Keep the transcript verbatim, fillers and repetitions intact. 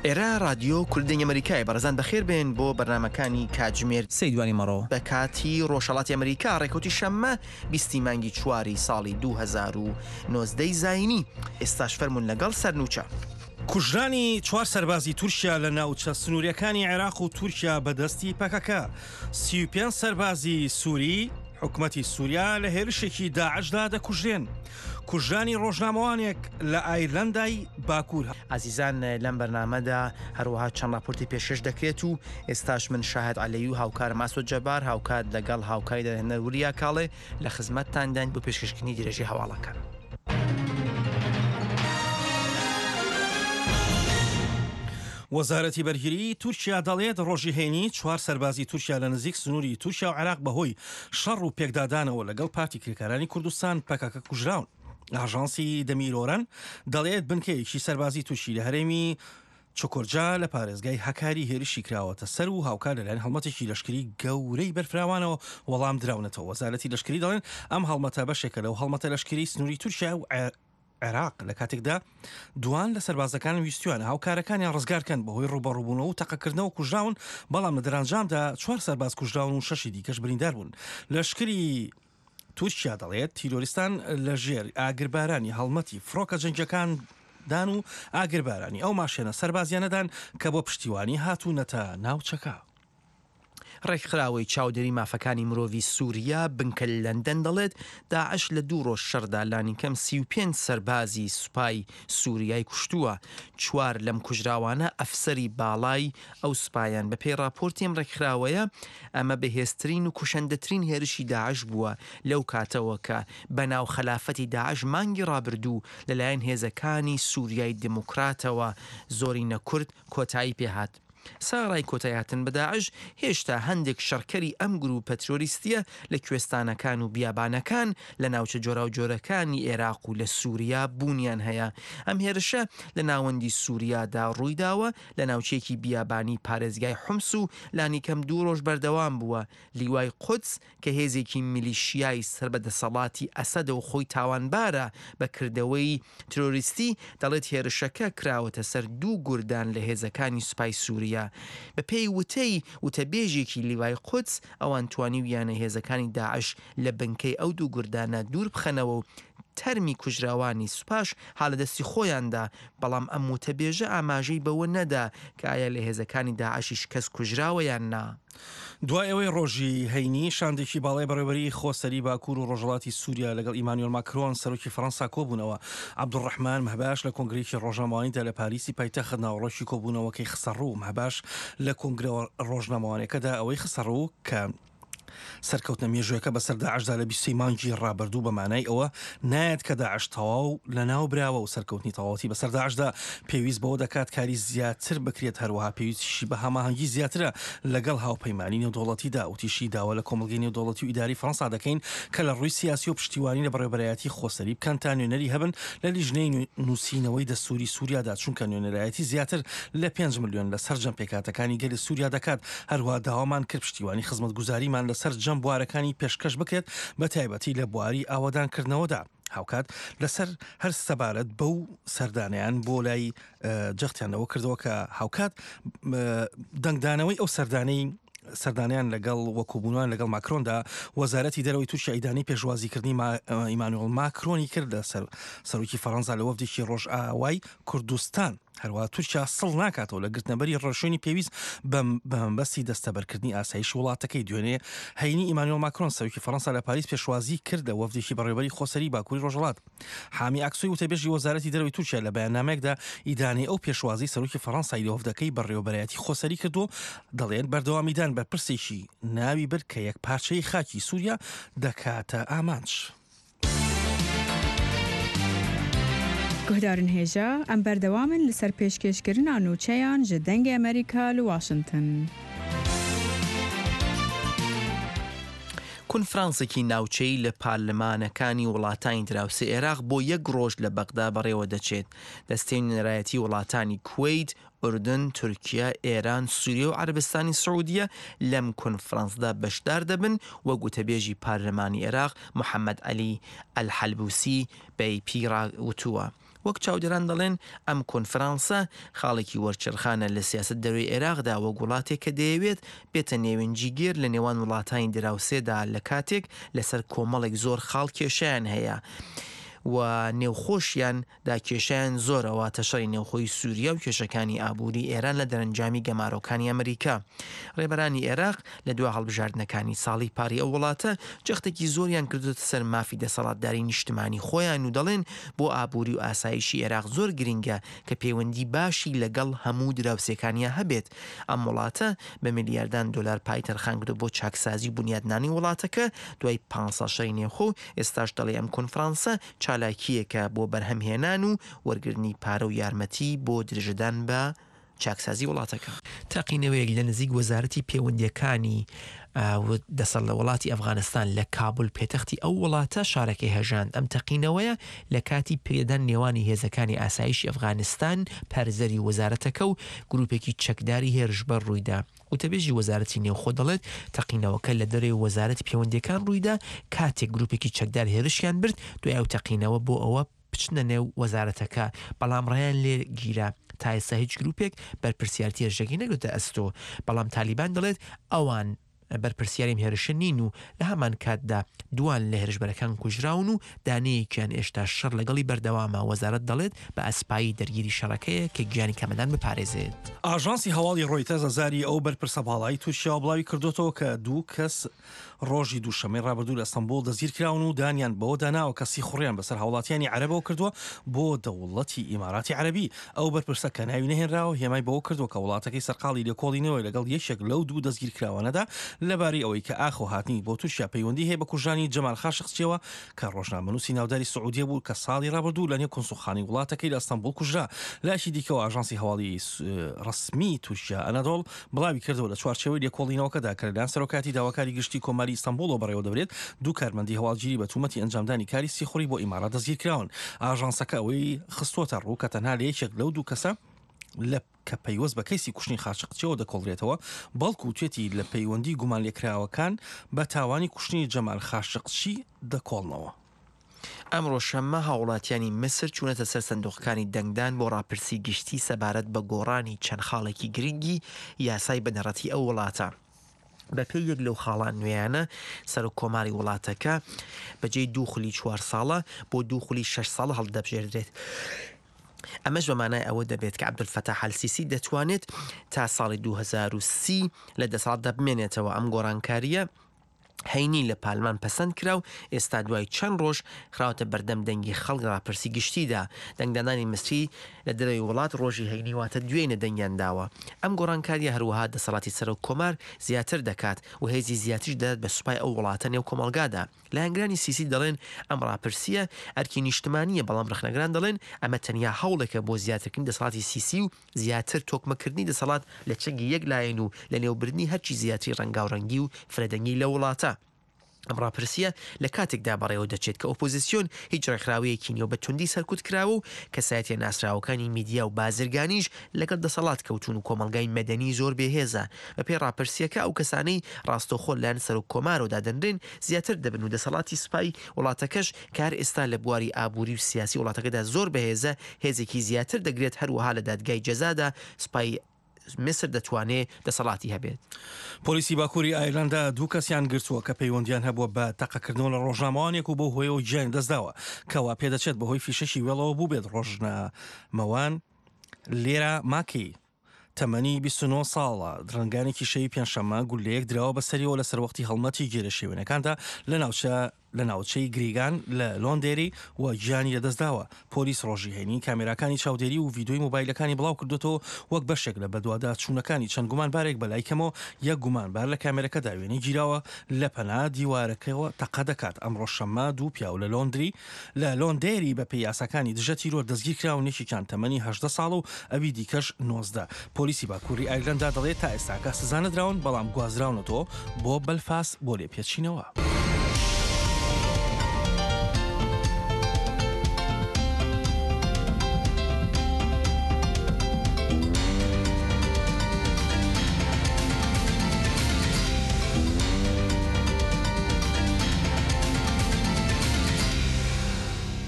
ئێرە رادیۆ کوردی ئەمریکای. بەڕێزان بەخێر بێن بۆ بەرنامەکانی کاتژمێر سێی دوانی مەڕۆ بە کاتی ڕۆژهەڵاتی ئەمریکا، ڕێکەوتی شەممە بیستی مانگی چواری ساڵی دوو هەزار و نۆزدە ی زایینی. ئێستاش فەرموون لەگەڵ سەرنوچە. کوژرانی چوار سەربازی تورکیا لە ناوچە سنووریەکانی عێراق و تورکیا بەدەستی پەکەکە. سی و پێنج سەربازی سووری حکومەتی سووریا لە هێرشێکی داعشدا دەکوژرێن. کوژرانی ڕۆژنامەوانێک لە ئایرلەندای باکوور. ئازیزان لەم بەرنامەدا هەروەها چەند راپۆرتی پێشکەش دەکرێت و ئێستاش من شاهد عەلەی و هاوکارم ئاسۆ جەبار هاوکات لەگەڵ هاوکاری دەرهێنەر وریا کاڵێ لە خزمەتتانداین بۆ پێشکەشکردنی درێژەی هەواڵەکان. وەزارەتی بەرگری تورکیا دەڵێت ڕۆژی هەینی چوار سەربازی تورکیا لە نزیک سنووری تورکیا و عێراق بەهۆی شەڕ و پێکدادانەوە لەگەڵ پارتی کرێکارانی کوردستان پەکەکە کوژراون. ئاژانسی دەمیرۆرەن دەڵێت بنکەیەکی سەربازی تورکی لە هەرێمی چکۆرجا لە پارێزگای هەکاری هێرشی کراوەتە سەر و هاوکار لەلایەن هەڵمەتێکی لەشکری گەورەی بەرفراوانەوە وەڵام دراونەتەوە. وەزارەتی لەشکری دەڵێن ئەم هەڵمەتە بەشێکە لەو هەڵمەتە لەشکری سنووری تورکیا و عێراق لە کاتێکدا دوان لە سەربازەکان ویستویانە هاوکارەکانیان ڕزگارکەن بەهۆی ڕووبەڕووبوونەوە و تەقەکردنەوە کوژراون، بەڵام لە دەرەنجامدا چوار سەرباز کوژراون و شەشی دیکەش بریندار بوون. لەشکری تورکیا دەڵێت تیرۆریستان لەژێر ئاگربارانی هەڵمەتی فڕۆکە جەنگیەکان دان و ئاگربارانی ئەو ماشێنە سەربازیانەدان کە بۆ پشتیوانی هاتوونەتە ناوچەکە. ڕێکخراوەی چاودێری مافەکانی مرۆڤی سووریا بنکە لەندەن دەڵێت داعش لە دوو ڕۆژ شەڕدا لانیکەم سی و پێنج سەربازی سوپای سووریای کوشتووە. چوار لەم کوژراوانە ئەفسەری باڵای ئەو سوپایان. بەپێی راپۆرتی ئەم ڕێکخراوەیە ئەمە بەهێزترین و کوشەندەترین هێرشی داعش بووە لەو کاتەوە کە بەناو خەلافەتی داعش مانگی ڕابردوو لەلایەن هێزەکانی سووریای دیموکراتەوە زۆرینە کورد کۆتایی پێهات. سەرەڕای کۆتایهاتن بە داعش، هێشتا هەندێک شەڕکەری ئەم گروپە ترۆریستیە لە کوێستانەکان و بیابانەکان لە ناوچە جۆراوجۆرەکانی عێراق و لە سووریا بوونیان هەیە. ئەم هێرشە لە ناوەندی سووریادا ڕوویداوە لە ناوچەیەکی بیابانی پارێزگای حومس و لانیکەم دوو ڕۆژ بەردەوام بووە. لیوای قودس کە هێزێکی میلیشیای سەر بە دەسەڵاتی ئەسەدە و خۆی تاوانبارە بە کردەوەی ترۆریستی، دەڵێت هێرشەکە کراوەتە سەر دوو گوردان لە هێزەکانی سوپای سووریا. بەپێی وتەی وتەبێژێکی لیوای قودس، ئەوان توانیویانە هێزەکانی داعش لە بنکەی ئەو دوو گوردانە دوور بخەنەوە و تەرمی کوژراوانی سوپاش ها لە دەستی خۆیاندا، بەڵام ئەم وتەبێژە ئاماژەی بەوە نەدا کە ئایا لە هێزەکانی داعشیش کەس کوژراوە یان نا. دوای ئەوەی ڕۆژی هەینی شاندێکی باڵای بەڕێوەبەری خۆسەری باکوور و ڕۆژهەڵاتی سووریا لەگەڵ ئیمانوێل ماکرۆن سەرۆکی فەرەنسا کۆبوونەوە، عەبدولڕەحمان مەهباش لە کۆنگرەیەکی ڕۆژنامەوانیدا لە پاریسی پایتەخت ناوەڕۆکی کۆبوونەوەکەی خستەڕوو. مەهباش لە کۆنگرە ڕۆژنامەوانیەکەدا ئەوەی خستەڕوو کە سەرکەوتنە مێژوویەکە بەسەر داعشدا لە بیست و سێ مانگی ڕابردوو بە مانای ئەوە نایەت کە داعش تەواو لەناو براوە و سەرکەوتنی تەواوەتی بەسەر داعشدا پێویست بەوە دەکات کاری زیاتر بکرێت، هەروەها پێویستیشی بە هەماهەنگی زیاترە لەگەڵ هاوپەیمانی نێودەوڵەتیدا. وتیشی داوا لە کۆمەڵگەی نێودەوڵەتی و ئیدارەی فەرەنسا دەکەین کە لە ڕووی سیاسی و پشتیوانی لە بەڕێوەبەرایەتی خۆسەری بکەن تا نوێنەری هەبن لە لیژنەی نووسینەوەی دەستووری سووریادا، چونکە نوێنەرایەتی زیاتر لە پێنج ملیۆن لە سەرجەم پێکهاتەکانی گەلی سووریا دەکات. هەروەها داوامان کرد پشتیوانی خزمەتگوزاریمان لەسەر جەم بوارەکانی پێشکەش بکرێت بە تایبەتی لە بواری ئاوەدانکردنەوەدا. هاوکات لەسەر هەر سەبارەت بەو سەردانیان بۆ لای جەختیان لەوە کردەوە کە هاوکات دەنگدانەوەی ئەو سەردانەی سەردانیان لەگەڵ وەکوبوونان لەگەڵ ماکرۆندا، وەزارەتی دەرەوەی تورکیا ئیدانەی پێشوازیکردنی ئیمانوێل ماکرۆنی کرد لە سەرۆکی فەرەنسا لە وەفدێکی ڕۆژئاوای کوردستان. هەروەها تورکیا سڵ ناکاتەوە لە گرتنەبەری ڕێوشوێنی پێویست بە مەبەستی دەستەبەرکردنی ئاسایشی وڵاتەکەی. دوێنێ هەینی ئیمانوێل ماکرۆن سەرۆکی فەرەنسا لە پاریس پێشوازی کرد لە وەفدێکی بەڕێوەبەری خۆسەری باکووری ڕۆژهەڵات. حامی ئاکسۆی وتەبێژی وەزارەتی دەرەوەی تورکیا لە بەیاننامەیەکدا ئیدانەی ئەو پێشوازی سەرۆکی فەرەنسای لە وەفدەکەی بەڕێوەبەرایەتی خۆسەری کردووە، دەڵێن بەردەوامیدان بە پرسێکی ناوی برد کە یەکپارچەیی خاکی سووریا دەکاتە ئامانج. گوهدارن هێژا، ئەم بەردەوامن لەسەر پێشکێشکردنا نوچەیان ji دەنگê ئەمریکا li واشنگتن. کۆنفرانسێکی ناوچەیی لە پارلمانەکانی وڵاتانی دراوسێ عێراق بۆ یەک ڕۆژ لە بەغدا بەڕێوە دەچێت. دەستەی نوێنەرایەتی وڵاتانی کوەیت، ئوردن، تورکیا، ئێران، سووریا و عەرەبستانی سعودیە لەم کۆنفرانسدا بەشدار دەبن، وەک وتەبێژی پارلمانی عێراق محەممەد عەلی ئەلحەلبوسی بە ئەی پی ڕاوتووە. وەک چاودێران دەڵێن ئەم کۆنفرانسە خاڵێکی وەرچەرخانە لە سیاسەت دەرەوەی عێراقدا وەک وڵاتێک کە دەیەوێت بێتە نێوەندگیر لە نێوان وڵاتانی دراوسێدا لە کاتێک لەسەر کۆمەڵێک زۆر خاڵ کێشیان هەیە و نێوخۆشیان دا کێشیان زۆرە، واتە شەڕی نێوخۆی سووریا و کێشەکانی ئابووری ئێران لە دەرەنجامی گەمارۆکانی ئەمریکا. ڕێبەرانی عێراق لە دوا هەڵبژاردنەکانی ساڵی پاری ئەو وڵاتە جەختێکی زۆریان کردوتە سەر مافی دەسەڵاتداری نیشتمانی خۆیان و دەڵێن بۆ ئابووری و ئاسایشی عێراق زۆر گرنگە کە پەیوەندی باشی لەگەڵ هەموو دراوسێکانیا هەبێت. ئەم وڵاتە بە ملیاردان دلار پای تەرخان کردو بۆ چاکسازی و بنیادنانی وڵاتەکە دوای پانزە شەڕی نێوخۆ. ئێستاش دەڵێ ئەم کۆنفرانسە چالاکییەکە بۆ بەرهەمهێنان و وەرگرتنی پارە و یارمەتی بۆ درێژەدان بە چاکسازی وڵاتەکە. تەقینەوەیەک لە نزیک وەزارەتی پەیوەندیەکانی دەسەڵ لە وڵاتی ئەفغانستان لە کابل پێتەختی ئەو وڵاتە شارەکەی هەژاند. ئەم تەقینەوەیە لە کاتی پێدان نێوانی هێزەکانی ئاسایشی ئەفغانستان پارێزەری وەزارەتەکە و گروپێکی چەکداری هێرشبەر ڕوویدا. وتەبێژی وەزارەتی نێوخۆ دەڵێت تەقینەوەکە لە دەرەوەی وەزارەتی پەیوەندیەکان ڕوویدا کاتێک گروپێکی چەکدار هێرشیان برد دوای ئەو تەقینەوە بۆ ئەوە بچنە نێو وەزارەتەکە، بەڵام ڕێیان لێ گیرا. تا ئێستا هیچ گروپێک بەرپرسیارەتی هێرشەکەی نەگرتە ئەستۆ، بەڵام تالیبان دەڵێت ئەوان بەرپرسیاری هێرشە نین و لە هەمان کاتدا دوان لە هێرشبەرەکان کوژراون و دانەیەکیان ئێشتا شەڕ لەگەڵی بەردەوامە. وەزارەت دەڵێت بە ئەسپایی دەرگیری شەڕەکەیە کە گیانی کەمەدان بپارێزێت. ئاژانسی هەواڵی ڕۆیتەرز زاری ئەو بەرپرسە باڵای تورکیا بڵاوی کردوتەوە کە دوو کەس ڕۆژی دووشەممەی ڕابردوو لە ئەستەنبوڵ دەستگیر کراون و دانیان بەوە داناوە کە سیخوڕیان بەسەر هاوڵاتیانی عەرەبەوە کردووە بۆ دەوڵەتی ئیماراتی عەرەبی. ئەو بەرپرسە کە ناوی نەهێنراوە هێمای بەوە کردووە کە وڵاتەکەی سەرقاڵی لێکۆڵینەوەی لەگەڵ یەکێک لەو دوو دەستگیرکراوانەدا لەبارەی ئەوەی کە ئاخۆ هاتنی بۆ تورکیا پەیوەندی هەیە بە کوژرانی جەمال خاشقچیەوە کە ڕۆژنامەنووسی ناوداری سعودیە بوو کە ساڵی ڕابردوو لە نێو کونسوڵخانەی وڵاتەکەی لە ئەستەنبوڵ کوژرا. لایەکی دیکەوە ئاژانسی هەواڵی ڕەسمی تورکیا ئەنادۆڵ بڵاوی کردەوە لە چوارچێوەی لێکۆڵینەوەکەدا کە لەلایەن سەرۆکایەتی داواکاری گشتی کۆماری ئیستانبوڵەوە بەڕێوە دەبرێت دوو کارمەندی هەواڵگیری بە تومەتی ئەنجامدانی کاری سیخوڕی بۆ ئیمارات دەستگیر کراون. ئاژانسەکە ئەوەی خستووەتە ڕوو کە تەنها لە یەکێک لەو دوو کەسە لە کە پەیوەست بە کەیسی کوشتنی خاشقچیەوە دەکۆڵرێتەوە، بەڵکو توێتی لە پەیوەندی گومانلێکراوەکان بە تاوانی کوشتنی جەمال خاشقچی دەکۆڵنەوە. ئەمڕۆ شەممە هاوڵاتیانی میسر چوونەتە سەر سندوقەکانی دەنگدان بۆ ڕاپرسی گشتی سەبارەت بە گۆڕانی چەند خاڵێکی گرنگی یاسای بنەڕەتی ئەو وڵاتە. بەپێی یەک لەو خاڵان نوێیانە سەرۆک کۆماری وڵاتەکە بەجێی دوو خولی چوار ساڵە بۆ دوو خولی شەش ساڵە هەڵدەبژێردرێت. ئەمەش بە مانای ئەوە دەبێت کە عەبدولفەتاح ئەلسیسی دەتوانێت تا ساڵی دوو هەزار و سی لە دەسەڵاتدا بمێنێتەوە. ئەم گۆڕانکارییە هەینی لە پارلمان پەسەند کرا و ئێستا دوای چەند ڕۆژ خراوەتە بەردەم دەنگی خەڵک ڕاپرسی گشتیدا. دەنگدانانی میسری لە دەرەوەی وڵات ڕۆژی هەینی واتە دوێنێ دەنگیان داوە. ئەم گۆڕانکاریە هەروەها دەسەڵاتی سەرۆک کۆمار زیاتر دەکات و هێزی زیاتریش دەدات بە سوپای ئەو وڵاتە نێو کۆمەڵگادا. لایەنگرانی سیسی دەڵێن ئەم ڕاپرسیە ئەرکی نیشتمانیە، بەڵام ڕەخنەگران دەڵێن ئەمە تەنیا هەوڵێکە بۆ زیاترکردنی دەسەڵاتی سیسی و زیاتر تۆکمەکردنی دەسەڵات لە چنگی یەک لایەن و لە نێوبردنی هەرچی زیاتری ڕەنگاوڕەنگی و فرەدەنگی لە وڵاتە. ئەم ڕاپرسیە لە کاتێکدا بەڕێوە دەچێت کە ئۆپۆزیسیۆن هیچ ڕێکخراوەیەکی نیە و بە توندی سەرکوت کراوە و کەسایەتیە ناسراوەکانی میدیا و بازرگانیش لەگەڵ دەسەڵات کەوتون و کۆمەڵگای مەدەنی زۆر بێهێزە. بەپێی ڕاپرسیەکە ئەو کەسانەی ڕاستەوخۆ لایەن سەرۆک کۆمارەوە دادەنرێن زیاتر دەبن و دەسەڵاتی سوپای وڵاتەکەش کار ئێستا لە بواری ئابووری و سیاسی وڵاتەکەدا زۆر بەهێزە هێزێکی زیاتر دەگرێت. هەروەها لە دادگای جەزادا سوپای میسر دەتوانێت دەسەڵاتی هەبێت. پۆلیسی باکووری ئایرلندا دوو کەسیان گرتووە کە پەیوەندیان هەبووە بە تەقەکردنەوە لە ڕۆژنامەوانێک و بەو هۆیەوە گیانی دەستداوە کەوا پێدەچێت بەهۆی فیشەکی وێڵەوە بوو بێت. ڕۆژنامەوان لێرا ماکی تەمەنی بیست و نۆ ساڵە درەنگانێکی شەوی پێنجشەممە گولەیەک دراوە بەسەریەوە لە سەروەختی هەڵمەتی گێرەشێوێنەکاندا لە ناوچە لە ناوچەی گریگان لە لۆندێری و گیانی لەدەستداوە. پۆلیس ڕۆژی هەینی کامێراکانی چاودێری و ڤیدیۆی مۆبایلەکانی بڵاو کردوێتەوە وەک بەشێک لە بەدواداچوونەکانی چەند گومانبارێک بەلای کەمەوە یەک گومانبار لە کامێرەکەدا وێنەی گیراوە لە پەنا دیوارەکەەوە تەقە دەکات. ئەمڕۆ شەممە دوو پیاو لە لۆندری لە لۆندێری بە پێی یاساکانی دژە تیرۆر دەستگیر کراون، یەکێکیان تەمەنی هەژدە ساڵ و ئەوی دیکەش نۆزدە. پۆلیسی باکووری ئایرلەندا دەڵێت تا ئێستاکە سزا نەدراون بەڵام گوازراونەتەوە بۆ بەلفاس بۆ لێپێچینەوە.